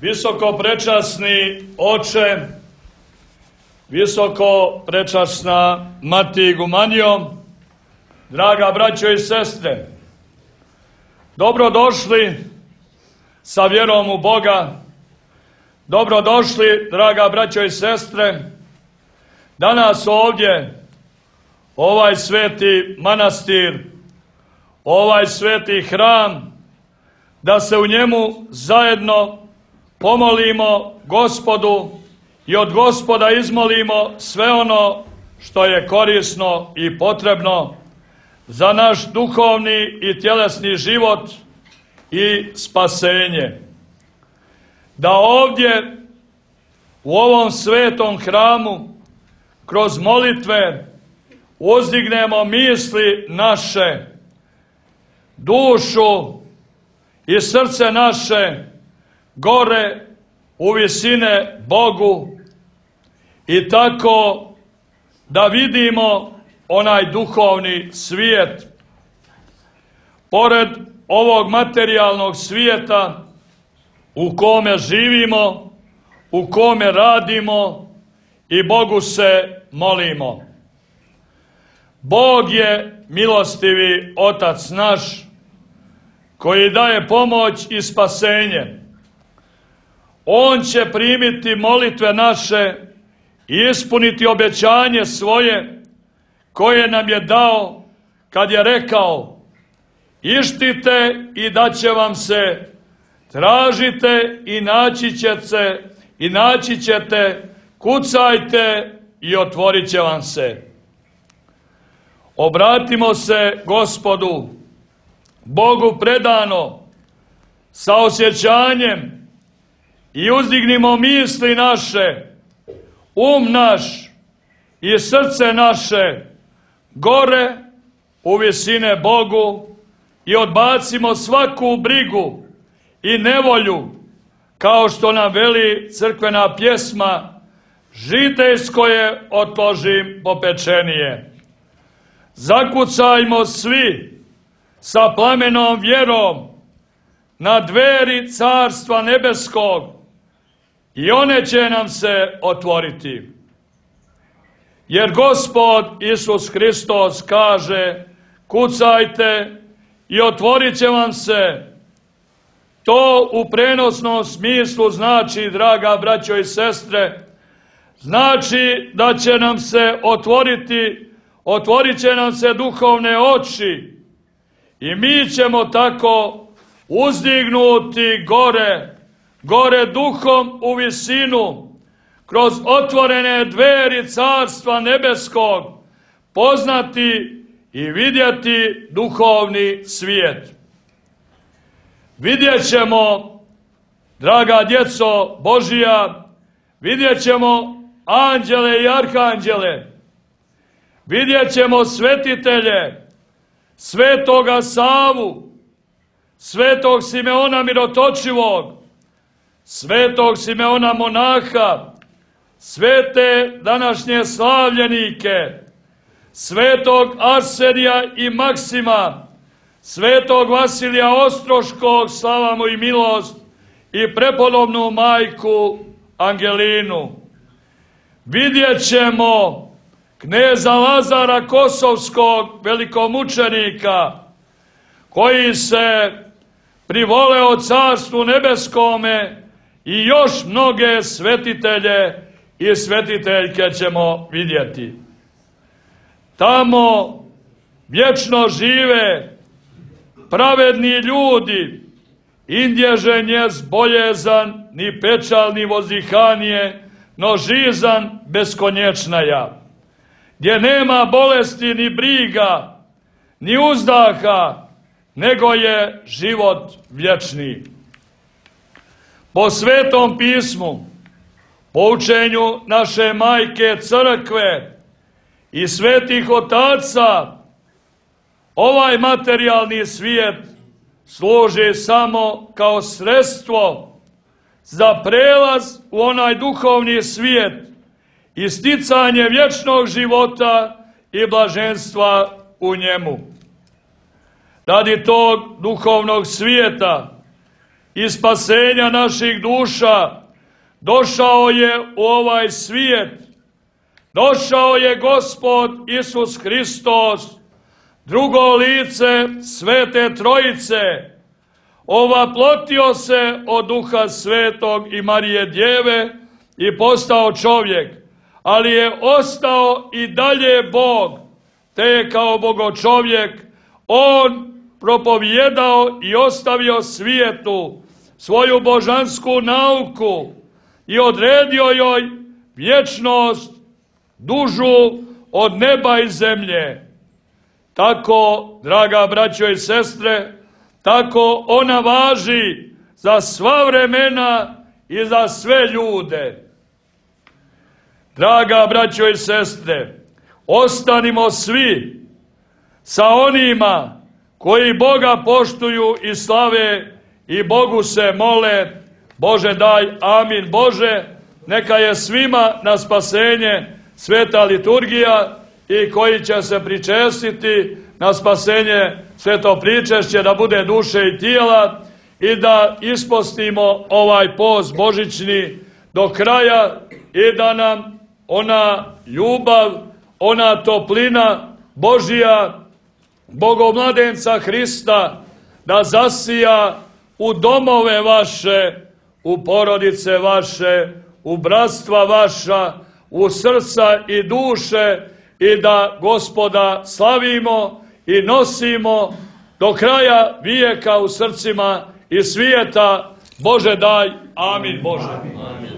Visoko prečasni oče, visoko prečasna mati Igumanijom, draga braćo i sestre, dobrodošli sa vjerom u Boga, dobrodošli, draga braćo i sestre, danas ovdje, ovaj sveti manastir, ovaj sveti hram, da se u njemu zajedno pomolimo Gospodu i od Gospoda izmolimo sve ono što je korisno i potrebno za naš duhovni i tjelesni život i spasenje. Da ovdje u ovom svetom hramu kroz molitve uzdignemo misli naše, dušu i srce naše gore u visine Bogu i tako da vidimo onaj duhovni svijet. Pored ovog materijalnog svijeta u kome živimo, u kome radimo i Bogu se molimo. Bog je milostivi Otac naš koji daje pomoć i spasenje. On će primiti molitve naše i ispuniti obećanje svoje koje nam je dao kad je rekao: ištite i daće vam se, tražite i naći ćete, kucajte i otvorit će vam se. Obratimo se Gospodu, Bogu predano, sa osjećanjem i uzdignimo misli naše, um naš i srce naše gore u visine Bogu i odbacimo svaku brigu i nevolju, kao što nam veli crkvena pjesma: žitejsko je otložim popečenije. Zakucajmo svi sa plamenom vjerom na dveri Carstva nebeskog i one će nam se otvoriti. Jer Gospod Isus Hristos kaže: kucajte i otvorit će vam se. To u prenosnom smislu znači, draga braćo i sestre, znači da će nam se otvorit će nam se duhovne oči i mi ćemo tako uzdignuti gore duhom u visinu, kroz otvorene dveri Carstva nebeskog, poznati i vidjeti duhovni svijet. Vidjet ćemo, draga djeco Božija, vidjet ćemo anđele i arhanđele, vidjet ćemo svetitelje, svetoga Savu, svetog Simeona Mirotočivog, svetog Simeona monaha, svete današnje slavljenike, svetog Arsenija i Maksima, svetog Vasilija Ostroškog, slava mu i milost, i prepodobnu majku Angelinu. Vidjet ćemo kneza Lazara Kosovskog, velikomučenika, koji se privoleo Carstvu nebeskome, i još mnoge svetitelje i svetiteljke ćemo vidjeti. Tamo vječno žive pravedni ljudi, indježe njez boljezan, ni pečal, ni vozdihanije, no žizan beskonječnaja, gdje nema bolesti ni briga, ni uzdaha, nego je život vječni. Po Svetom pismu, po učenju naše majke Crkve i svetih otaca, ovaj materijalni svijet služi samo kao sredstvo za prelaz u onaj duhovni svijet i sticanje vječnog života i blaženstva u njemu. Radi tog duhovnog svijeta i spasenja naših duša, došao je u ovaj svijet. Došao je Gospod Isus Hristos, drugo lice Svete Trojice, ovaplotio se od Duha Svetog i Marije Djeve i postao čovjek, ali je ostao i dalje Bog, te je kao bogočovjek on propovijedao i ostavio svijetu svoju božansku nauku i odredio joj vječnost dužu od neba i zemlje. Tako, draga braćo i sestre, tako ona važi za sva vremena i za sve ljude. Draga braćo i sestre, ostanimo svi sa onima koji Boga poštuju i slave i Bogu se mole. Bože daj, amin. Bože, neka je svima na spasenje sveta liturgija i koji će se pričestiti na spasenje sveto pričešće, da bude duše i tijela i da ispostimo ovaj post božićni do kraja i da nam ona ljubav, ona toplina Božija, Bogomladenca Hrista, da zasija u domove vaše, u porodice vaše, u bratstva vaša, u srca i duše i da Gospoda slavimo i nosimo do kraja vijeka u srcima i svijeta. Bože daj, amin Bože. Amin.